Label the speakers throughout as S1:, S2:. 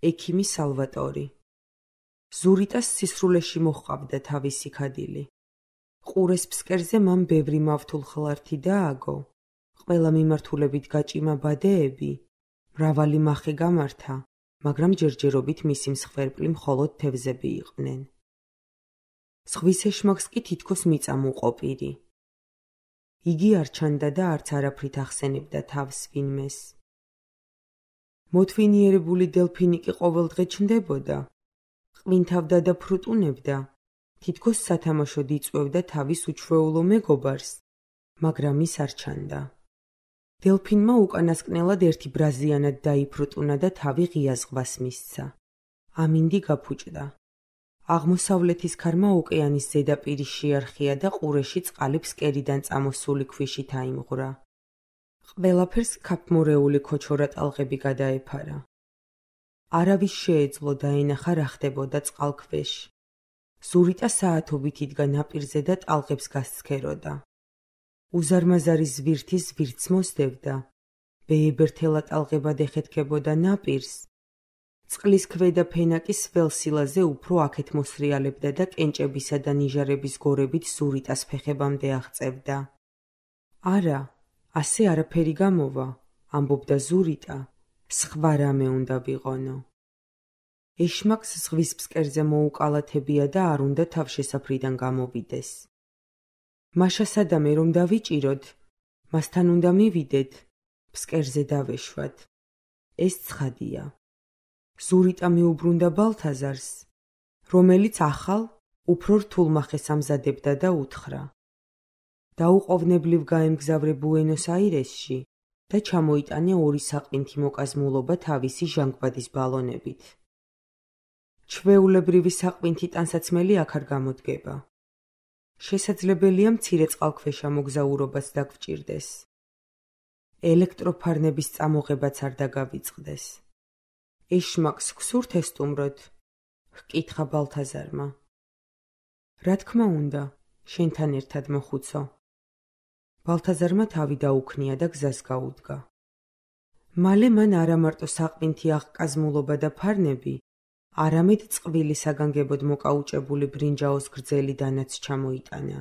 S1: ექიმი სალვატორი. ზურიტას სისრულეში მოჰყავდა თავისი ქადილი. ყურეს ფსკერზე მან ბევრი მავთულხლართი დააგო, ყველა მიმართულებით გაჭიმა ბადეები, მრავალი მახე გამართა, მაგრამ ჯერჯერობით მისი მსხვერპლი მხოლოდ თევზები იყვნენ. ზღვის ეშმაკს კი თითქოს მიწამ უყოფირი. იგი არ ჩანდა და არც არაფრით ახსენებდა თავს ვინმეს. მოთვინიერებული დელფინი კი ყოველდღე ჩნდებოდა, ყვინთავდა და ფრუტუნებდა, თითქოს სათამაშოდ იწვევდა თავის უჩვეულო მეგობარს, მაგრამ ის არ ჩანდა. დელფინმა უკანასკნელად ერთი ბრაზიანად დაიფრუტუნა და თავი ღია ზღვას მისცა. ამინდი გაფუჭდა. აღმოსავლეთის ქარმა ოკეანის ზედაპირის შეარხია და ყურეში წყალი ფსკერიდან წამოსული ქვიშით აიმღვრა. ყველაფერს ქაფმორეული ქოჩორა ტალღები გადაეფარა. არავის შეეძლო დაენახა რა ხდებოდა წყალქვეშ. ზურიტა საათობით იდგა ნაპირზე და ტალღებს გასცქეროდა. უზარმაზარი ზვირთი ზვირთს მოსდევდა, ბეებერთელა ტალღებად ეხეთქებოდა ნაპირს. წყლის ქვედა ფენა კი სველ სილაზე უფრო აქეთ მოსრიალებდა და კენჭებისა და ნიჟარების გორებით ზურიტას ფეხებამდე აღწევდა. არა, ასე არაფერი გამოვა, ამბობდა ზურიტა, სხვა რამე უნდა ვიყონო. ეშმაკს ზღვის ფსკერზე მოუკალათებია და არ უნდა თავშესაფრიდან გამოვიდეს. მაშა სადამე რომ დავიჭიროთ, მასთან უნდა მივიდეთ, ფსკერზე დავეშვათ. ეს ცხადია. ზურიტა მიუბრუნდა ბალთაზარს, რომელიც ახალ, უფრო რთულ მახეს ამზადებდა და უთხრა. დაუყოვნებლივ გაემგზავრე ბუენოს-აირესში და ჩამოიტანე 2 საყინთი მოკაზმულობა თავისი ჟანგბადის ბალონებით. ჩვეულებრივი საყინთი ტანსაცმელი აქ არ გამოდგება. შესაძლებელია მცირე წყალქვეშა მოგზაურობაც დაგვრჭირდეს. ელექტროფარნების წამოღებაც არ დაგავიწყდეს. ეშმაკს გსურთ ესტუმროთ? ჰკითხა ბალთაზარმა. რა თქმა უნდა, შენთან ერთად მოხუცო. ბალთაზარმა თავი დაუქნია და გზას გაუდგა. მალე მან არა მარტო საყინთი აღკაზმულობა და ფარნები, არამედ წყვილი საგანგებოდ მოკაუჭებული ბრინჯაოს გრძელი დანაც ჩამოიტანა.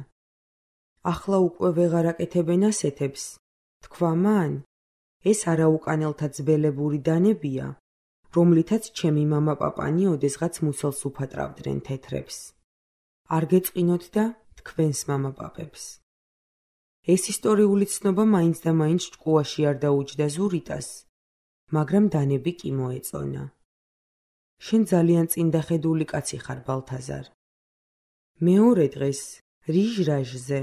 S1: ახლა უკვე ვეღარ აკეთებენ ასეთებს, თქვა მან, ეს არაუკანელთა ძველებური დანებია, რომლითაც ჩემი მამა-პაპანი ოდესღაც მუცელს უფატრავდნენ თეთრებს. არ გეწყინოთ და თქვენს მამა-პაპებს. ეს ისტორიული ცნობა მაინც და მაინც ჭკუაში არ დაუჯდა ზურიტას, მაგრამ დანები კი მოეწონა. შენ ძალიან წინდახედული კაცი ხარ, ბალთაზარ. მეორე დღეს, რიჟრაჟზე,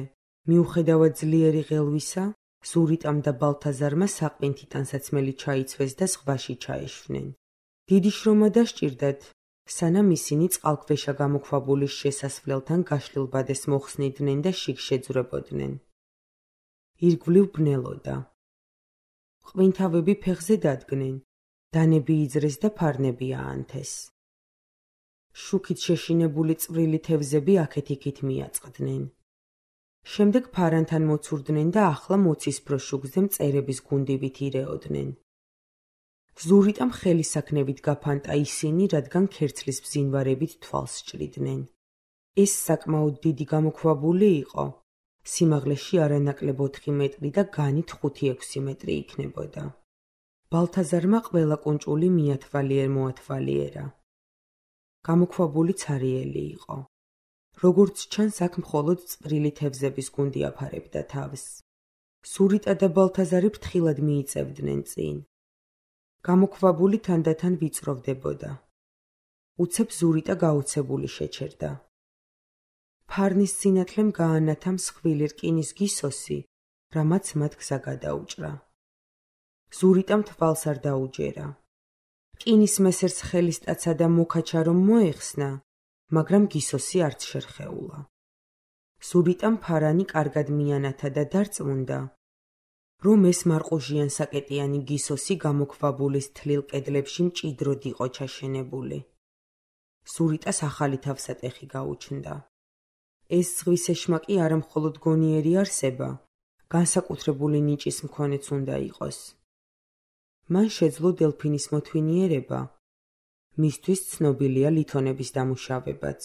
S1: მიუხედავად ძლიერი ღელვისა, ზურიტამ და ბალთაზარმა საყინთი ტანსაცმელი ჩაიცვეს და ზღვაში ჩაეშვნენ. დიდი შრომა დასჭირდათ, სანამ ისინი წყალქვეშა გამოქვაბულის შესასვლელთან გაშლილ ბადეს მოხსნიდნენ და შიგ შეძვრებოდნენ. ირგვლივ ბნელოდა. ყვინთავები ფეხზე დადგნენ, დანები იძრეს და ფარნები აანთეს. შუქით შეშინებული წვრილი თევზები აქეთ-იქით მიაწყდნენ. შემდეგ ფარანთან მოცურდნენ და ახლა მოცისფრო შუქზე მწერების გუნდივით ირეოდნენ. ზურიტამ ხელისაქნევით გაფანტა ისინი, რადგან ქერცლის ბზინვარებით თვალს სჭრიდნენ. ეს საკმაოდ დიდი გამოქვაბული იყო. სიმაღლეში არანაკლებ 4 მეტრი და განით 5-6 მეტრი იქნებოდა. ბალთაზარმა ყველა კუნჭული მოათვალიერა. გამოქვაბული ცარიელი იყო. როგორც ჩანს, აქ მხოლოდ წვრილი თევზების გუნდი აფარებდა თავს. ზურიტა და ბალთაზარი ფრთხილად მიიწევდნენ წინ. გამოქვაბული თანდათან ვიწროვდებოდა. უცებ ზურიტა გაოცებული შეჩერდა. ფარნის სინათლემ გაანათა მსხვილი რკინის გისოსი, რამაც მათ გზა გადაუჭრა. ზურიტამ თვალს არ დაუჯერა. რკინის მესერს ხელისტაცა და მოკაჩა რომ მოეხსნა, მაგრამ გისოსი არც შერხეულა. ზურიტამ ფარანი კარგად მიანათა და დარწმუნდა, რომ ეს მარყუჟიან საკეტიანი გისოსი გამოქვაბულის თლილ კედლებში მჭიდროდ იყო ჩაშენებული. ზურიტას ახალი თავსატეხი გაუჩნდა. ეს ზღვის ეშმაკი არა მხოლოდ გონიერი არსება, განსაკუთრებული ნიჭის მქონეც უნდა იყოს. მან შეძლო დელფინის მოთვინიერება, მისთვის ცნობილია ლითონების დამუშავებაც.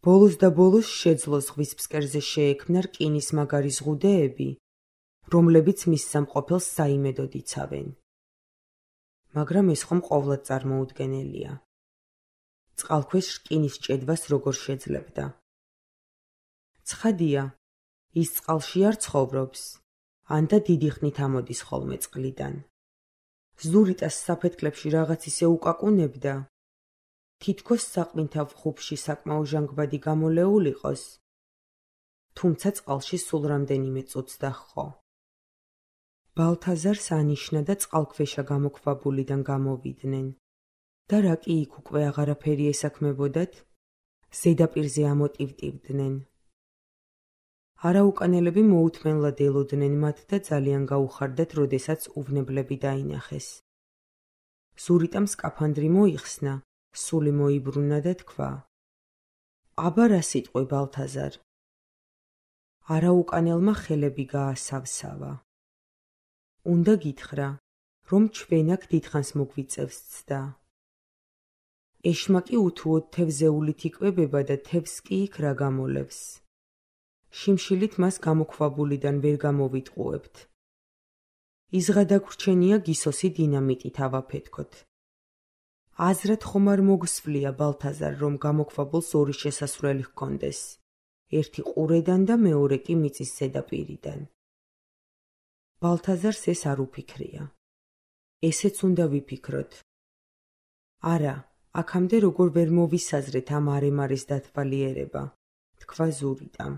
S1: ბოლოს და ბოლოს შეძლო ზღვის ფსკერზე შეექმნა რკინის მაგარი ზღუდეები, რომლებიც მის სამყოფელს საიმედოდ იცავენ. მაგრამ ეს ხომ ყოვლად წარმოუდგენელია. წყალქვეშ რკინის ჭედვას როგორ შეძლებდა? ცხადია, ის წყალში არ ცხოვრობს, ან და დიდი ხნით ამოდის ხოლმე წყლიდან. ზურიტას საფეთქლებში რაღაც ისე უკაკუნებდა, თითქოს საყმინთავ ხუბში საკმაო ჟანგბადი გამოლეულ იყოს, თუმცა წყალში სულ რამდენიმე წუთს დაჰყო. ბალთაზარს ანიშნა და წყალქვეშა გამოქვაბულიდან გამოვიდნენ და რა კი იქ უკვე აღარაფერი ესაქმებოდათ, ზედაპირზე ამოტივტივდნენ. არაუკანელები მოუთმენლად ელოდნენ მათ და ძალიან გაუხარდათ, როდესაც უვნებლები დაინახეს. ზურიტამ სკაფანდრი მოიხსნა, სული მოიბრუნა და თქვა: აბა რა სიტყვი, ბალთაზარ? არაუკანელმა ხელები გაასავსავა. უნდა გითხრა, რომ ჩვენ აქ დიდხანს მოგვიწევს ცდა. ეშმაკი უთუოდ თევზეულით იკვებება და თევზს კი იქ რა გამოლევს. შიმშილით მას გამოქვაბულიდან ვერ გამოვიტყუებთ. იზღა დაგვრჩენია გისოსი დინამიტით ავაფეთქოთ. აზრად ხომ არ მოგსვლია, ბალთაზარ, რომ გამოქვაბულს ორი შესასვლელი ჰქონდეს, ერთი ყურედან და მეორე კი მიწის ზედაპირიდან. ბალთაზარს ეს არ უფიქრია. ესეც უნდა ვიფიქროთ. არა, აქამდე როგორ ვერ მოვისაზრეთ ამ არემარეს დათვალიერება, თქვა ზურიტამ.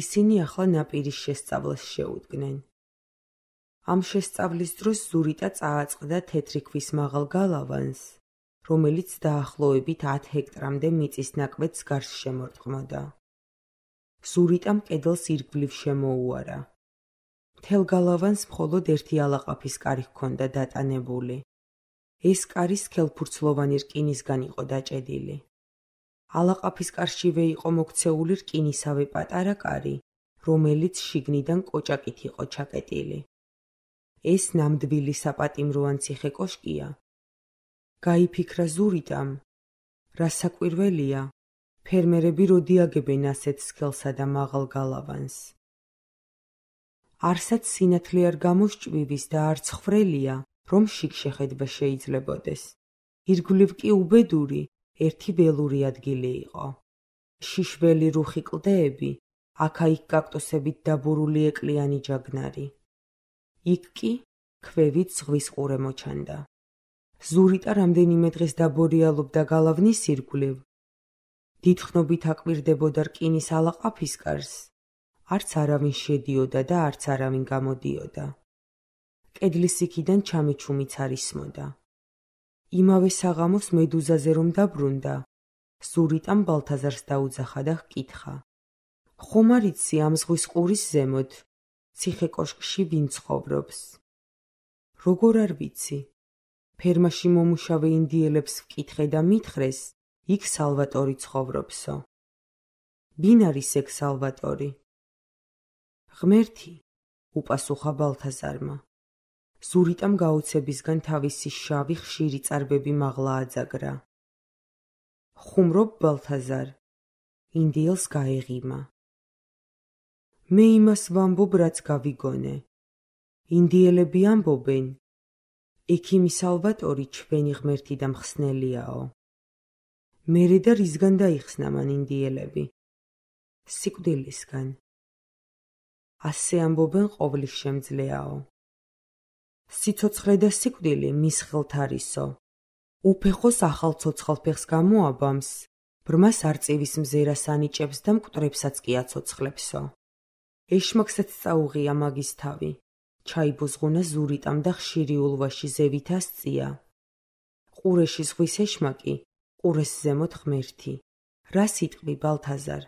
S1: ისინი ახლა ნაპირის შესწავლას შეუდგნენ. ამ შესწავლის დროს ზურიტა წააწყდა თეთრი ქვის მაღალ გალავანს, რომელიც დაახლოებით 10 ჰექტრამდე მიწის ნაკვეთს გარს შემორტყმოდა. ზურიტამ კედელს ირგვლივ შემოუარა. მთელ გალავანს მხოლოდ ერთი ალაყაფის კარი ჰქონდა დატანებული. ეს კარი სქელფურცლოვანი რკინისგან იყო დაჭედილი. ალაყაფის კარშივე იყო მოქცეული რკინისავე პატარა კარი, რომელიც შიგნიდან კოჭაკით იყო ჩაკეტილი. ეს ნამდვილი საპატიმროან ციხე კოშკია. გაიფიქრა ზურიტამ, რა საკვირველია, ფერმერები როდი აგებენ ასეთ სქელსა და მაღალ გალავანს. არსად სინათლე არ გამოსჭვივის და არც ხრელია, რომ შიგ შეხედვა შეიძლებოდეს. ირგვლივ კი უბედური, ერთი ველური ადგილი იყო. შიშველი რუხი კლდეები, აქა-იქ კაქტუსებით დაბურული ეკლიანი ჯაგნარი. იქ კი ქვევით ზღვის ყურე მოჩანდა. ზურიტა რამდენიმე დღეს დაბორიალობდა გალავნის ირგვლივ. დიდხნობით აკვირდებოდა რკინის ალაყაფის კარს, არც არავინ შედიოდა და არც არავინ გამოდიოდა. კედლის იქიდან ჩამიჩუმიც არ ისმოდა. იმავე საღამოს მედუზაზე რომ დაბრუნდა, ზურიტამ ბალთაზარს დაუძახა და ჰკითხა: ხომ არ იცი ამ ზღვის ყურის ზემოთ, ციხე კოშკში ვინ ცხოვრობს? როგორ არ ვიცი? ფერმაში მომუშავე ინდიელებს ვკითხე და მითხრეს, იქ სალვატორი ცხოვრობსო. ვინ არის ეგ სალვატორი? ღმერთი, უპასუხა ბალთაზარმა. ზურიტამ გაოცებისგან თავისი შავი ხშირი წარბები მაღლა აძაგრა. ხუმრობ, ბალთაზარ? ინდიელს გაეღიმა. მე იმას ვამბობ, რაც გავიგონე. ინდიელები ამბობენ, ექიმი სალვატორი ჩვენი ღმერთი და მხსნელიაო. მერე და რისგან დაიხსნა მან ინდიელები? სიკვდილისგან. ასე ამბობენ ყოვლის შემძლეაო. სიცოცხლე და სიკვდილი მის ხელთ არისო. უფეხოს ახალ ცოცხალ ფეხს გამოაბამს, ბრმას არწივის მზერას ანიჭებს და მკვდრებსაც კი აცოცხლებსო. ეშმაკსაც წაუღია მაგის თავი. ჩაიბუზღუნა ზურიტამ და ხშირი ულვაში ზევით ასწია. ყურეში ზღვის ეშმაკი, ყურეს ზემოთ ღმერთი. რა სიტყვი, ბალთაზარ?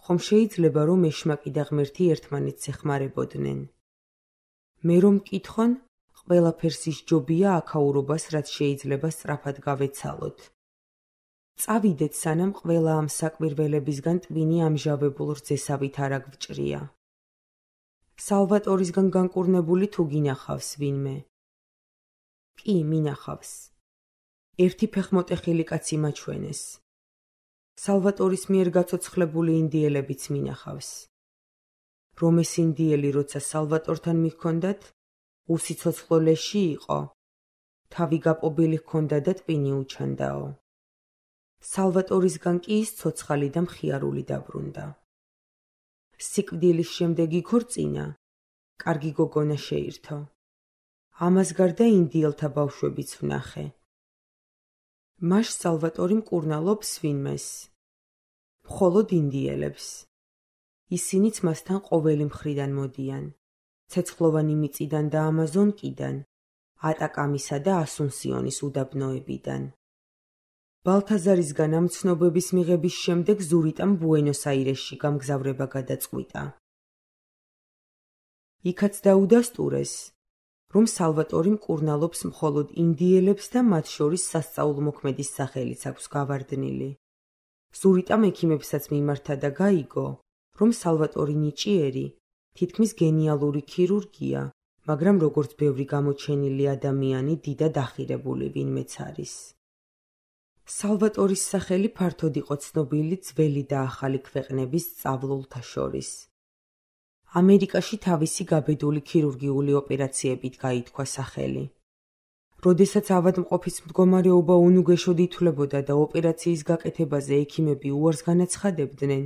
S1: ხომ შეიძლება რომ ეშმაკი და ღმერთი ერთმანეთს ეხმარებოდნენ? მე რომ მკითხონ, ყველაფერს ისჯობია აქაურობას, რაც შეიძლება სწრაფად გავეცალოთ. წავიდეთ, სანამ ყველა ამ საკვირველებისგან ტვინი ამჟავებულ რძესავით არ აგვჭრია. სალვატორისგან განკურნებული თუ გინახავს ვინმე? კი, მინახავს. ერთი ფეხმოტეხილი კაცი მაჩვენეს. სალვატორის მიერ გაცოცხლებული ინდიელებიც მინახავს. რომ ეს ინდიელი, როცა სალვატორთან მიჰქონდათ, უსიცოცხლო ლეში იყო, თავი გაპობილი ჰქონდა და ტვინი უჩანდაო. სალვატორისგან კი ის ცოცხალი და მხიარული დაბრუნდა. სიკვდილის შემდეგ იქორწინა, კარგი გოგონა შეირთო. ამას გარდა ინდიელთა ბავშვებიც ვნახე. მას სალვატორი მკურნალობს ვინმეს? მხოლოდ ინდიელებს. ისინიც მასთან ყოველი მხრიდან მოდიან. ცეცხლოვანი მიწიდან და ამაზონკიდან, ატაკამისა და ასუნსიონის უდაბნოებიდან. ბალთაზარისგან ამ ცნობების მიღების შემდეგ ზურიტამ ბუენოს-აირესში გამგზავრება გადაწყვიტა. იქაც დაუდასტურეს, რომ სალვატორი მკურნალობს მხოლოდ ინდიელებს და მათ შორის სასწაულმოქმედის სახელიც აქვს გავარდნილი. ზურიტამ ექიმებსაც მიმართა და გაიგო, რომ სალვატორი ნიჭიერი, თითქმის გენიალური ქირურგია, მაგრამ როგორც ბევრი გამოჩენილი ადამიანი, დიდად ახირებული ვინმეც არის. სალვატორის სახელი ფართოდ იყო ცნობილი ძველი და ახალი ქვეყნების სწავლულთა შორის. ამერიკაში თავისი გაბედული ქირურგიული ოპერაციებით გაითქვა სახელი. როდესაც ავადმყოფის მდგომარეობა უნუგეშოდ ითვლებოდა და ოპერაციის გაკეთებაზე ექიმები უარს განაცხადებდნენ,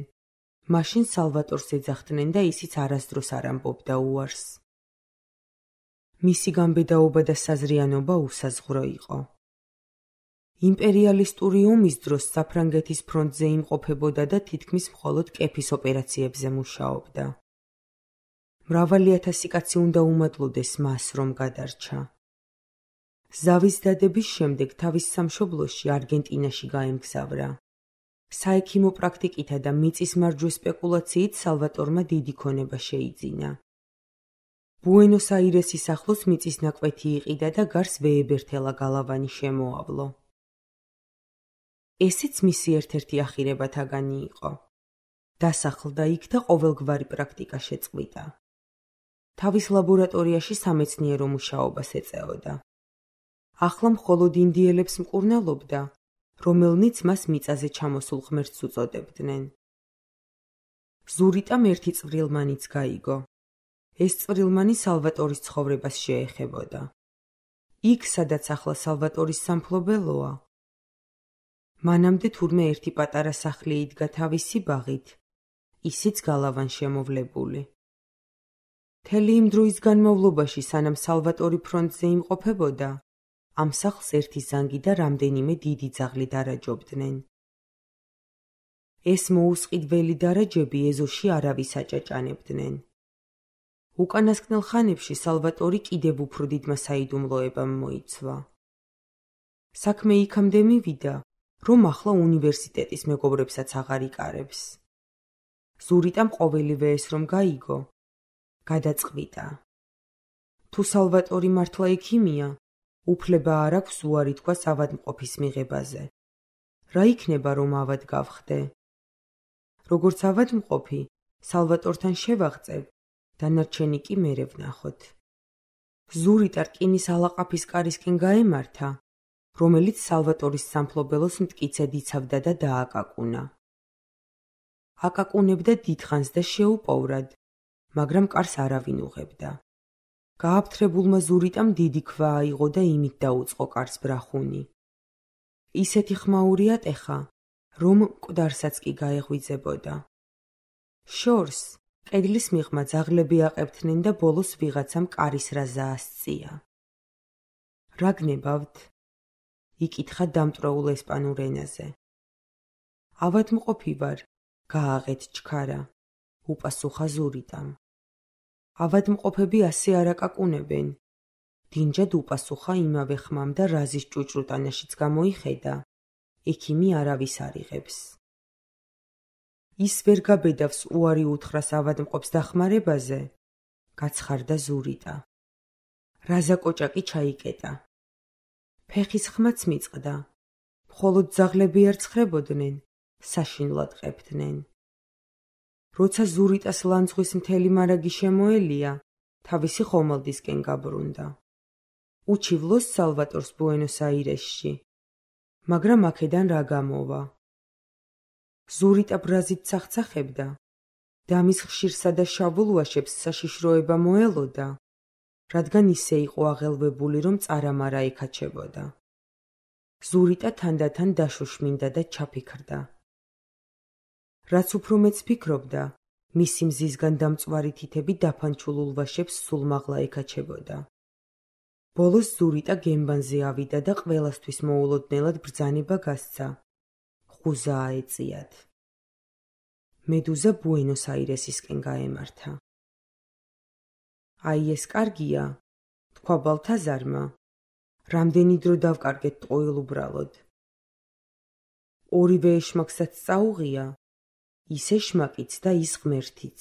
S1: მაშინ სალვატორს ეძახდნენ და ისიც არასდროს არ ამბობდა უარს. მისი გამბედაობა და საზრიანობა უსაზღვრო იყო. იმპერიალისტური ომის დროს საფრანგეთის ფრონტზე იმყოფებოდა და თითქმის მხოლოდ კეფის ოპერაციებზე მუშაობდა. მრავალი ათასი კაცი უნდა უმადლოდეს მას, რომ გადარჩა. ზავის დადების შემდეგ თავის სამშობლოში არგენტინაში გაემგზავრა. საექიმო პრაქტიკითა და მიწის მარჯვე სპეკულაციით სალვატორმა დიდი ქონება შეიძინა. ბუენოს-აირესის ახლოს მიწის ნაკვეთი იყიდა და გარს ვეებერთელა გალავანი შემოავლო. ესეც მისი ერთ-ერთი ახირებათაგანი იყო. დასახლდა იქ და ყოველგვარი პრაქტიკა შეწყვიტა. თავის ლაბორატორიაში სამეცნიერო მუშაობას ეწეოდა. ახლა მხოლოდ ინდიელებს მკურნალობდა, რომელნიც მას მიწაზე ჩამოსულ ღმერთს უწოდებდნენ. ზურიტამ ერთი წვრილმანიც გაიგო. ეს წვრილმანი სალვატორის ცხოვრებას შეეხებოდა. იქ, სადაც ახლა სალვატორის სამფლობელოა, მანამდე თურმე ერთი პატარა სახლი იდგა თავისი ბაღით, ისიც გალავან შემოვლებული. მთელი იმ დროის განმავლობაში, სანამ სალვატორი ფრონტზე იმყოფებოდა, ამ სახლს ერთი ზანგი და რამდენიმე დიდი ძაღლი დარაჯობდნენ. ეს მოუსყიდველი დარაჯები ეზოში არავის აჭაჭანებდნენ. უკანასკნელ ხანებში სალვატორი კიდევ უფრო დიდმა საიდუმლოებამ მოიცვა. საქმე იქამდე მივიდა, რომ ახლა უნივერსიტეტის მეგობრებსაც აღარ იკარებს. ზურიტამ ყოველივე ეს რომ გაიგო, გადაწყვიტა. თუ სალვატორი მართლა ექიმია, უფლება არ აქვს უარი თქვას ავადმყოფის მიღებაზე. რა იქნება, რომ ავად გავხდე? როგორც ავადმყოფი, სალვატორთან შევაღწევ, დანარჩენი კი მერე ვნახოთ. ზურიტა რკინის ალაყაფის კარისკენ გაემართა, რომელიც სალვატორის სამფლობელოს მტკიცედ იცავდა და დააკაკუნა. აკაკუნებდა დიდხანს და შეუპოვრად, მაგრამ კარს არავინ უღებდა. გააფთრებულმა ზურიტამ დიდი ქვა აიღო და იმით დაუწყო კარს ბრახუნი. ისეთი ხმაური ატეხა, რომ მკვდარსაც კი გაეღვიძებოდა. შორს, კედლის მიღმა ძაღლები აყებდნენ და ბოლოს ვიღაცამ კარის რაზა ასწია. რა გნებავთ? იკითხა დამტვრეულ ესპანურ ენაზე. ავადმყოფი ვარ, გააღეთ ჩქარა, უპასუხა ზურიტამ. ავადმყოფები ასე არ აკაკუნებენ. დინჯად უპასუხა იმავე ხმამ და რაზის ჭუჭრუტანაშიც გამოიხედა, ექიმი არავის არ იღებს. ის ვერ გაბედავს უარი უთხრას ავადმყოფს დახმარებაზე, გაცხარდა ზურიტა. რაზა კოჭაკი ჩაიკეტა. ფეხის ხმაც მიწყდა. მხოლოდ ძაღლები არ ცხრებოდნენ, საშინლად ყებდნენ. როცა ზურიტას ლანძღვის მთელი მარაგი შემოელია, თავისი ხომალდისკენ გაბრუნდა. უჩივლოს სალვატორს ბუენოს-აირესში. მაგრამ აქედან რა გამოვა? ზურიტა ბრაზით ცახცახებდა და მის ხშირსა და შავულ ვაშებს საშიშროება მოელოდა, რადგან ისე იყო აღელვებული, რომ წარამარა ეკაჩებოდა. ზურიტა თანდათან დაშოშმინდა და ჩაფიქრდა. რაც უფრო მეც ფიქრობდა, მისი მზისგან დამწვარი თითები დაფანჩულ ულვაშებს სულ მაღლა ეკაჩებოდა. ბოლოს ზურიტა გემბანზე ავიდა და ყველასთვის მოულოდნელად ბრძანება გასცა. ხუზა აეწიათ. მედუზა ბუენოს-აირესისკენ გაემართა. აი ეს კარგია, თქვა ბალთაზარმა. რამდენი დრო დავკარგეთ ტყუილ უბრალოდ. ორივე ეშმაკსაც წაუღია, ის ეშმაკიც და ის ღმერთიც.